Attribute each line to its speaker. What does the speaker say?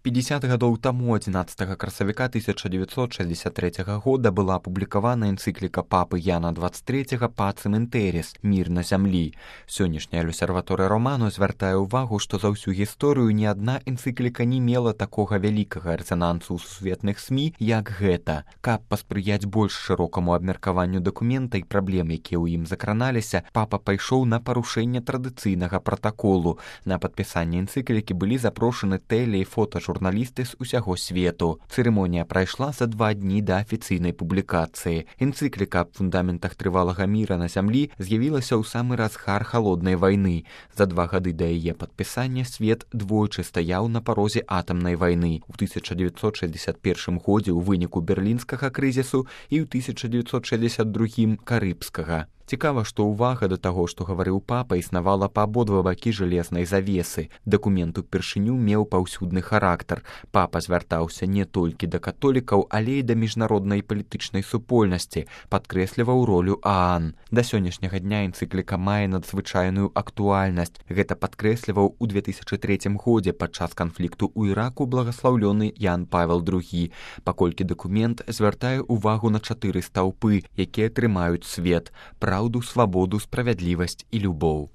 Speaker 1: 50 гадоў таму 11 красавіка 1963 года была апублікавана энцыкліка папы Яна 23 «Пацем інтэріс» «Мір на зямлі». Сённяшняя L'Osservatore Romano звяртае ўвагу, што за ўсю гісторыю ні адна энцыкліка не мела такога вялікага рэзанансу ў сусветных СМІ, як гэта. Каб паспрыяць больш шырокаму абмеркаванню дакумента і праблем, якія ў ім закраналіся, папа пайшоў на парушэнне традыцыйнага пратаколу. На падпісанне энцыклікі былі запрошаны тэле- і фотажурналісты з усяго свету. Цырымонія прайшла за 2 дні да афіцыйнай публікацыі. Энцыкліка аб фундаментах трывалага міра на зямлі з'явілася ў самы разгар халоднай вайны. За 2 гады да яе падпісання свет двойчы стаяў на парозе атамнай вайны. У 1961 годзе ў выніку берлінскага крызісу і ў 1962 карыбскага. Цікава, што ўвага да таго, што гаварыў папа, існавала па абодва бакі жалезнай завесы. Дакумент упершыню меў паўсюдны характар. Папа звяртаўся не толькі да католікаў, але і да міжнароднай палітычнай супольнасці, падкрэсліваў ролю ААН. Да сённяшняга дня энцыкліка мае надзвычайную актуальнасць. Гэта падкрэсліваў у 2003 годзе падчас канфлікту ў Іраку благаслаўлёны Ян Павел II, паколькі дакумент звяртае ўвагу на 4 стаўпы, якія трымаюць свет: праўду, свабоду, справядлівасць і любоў.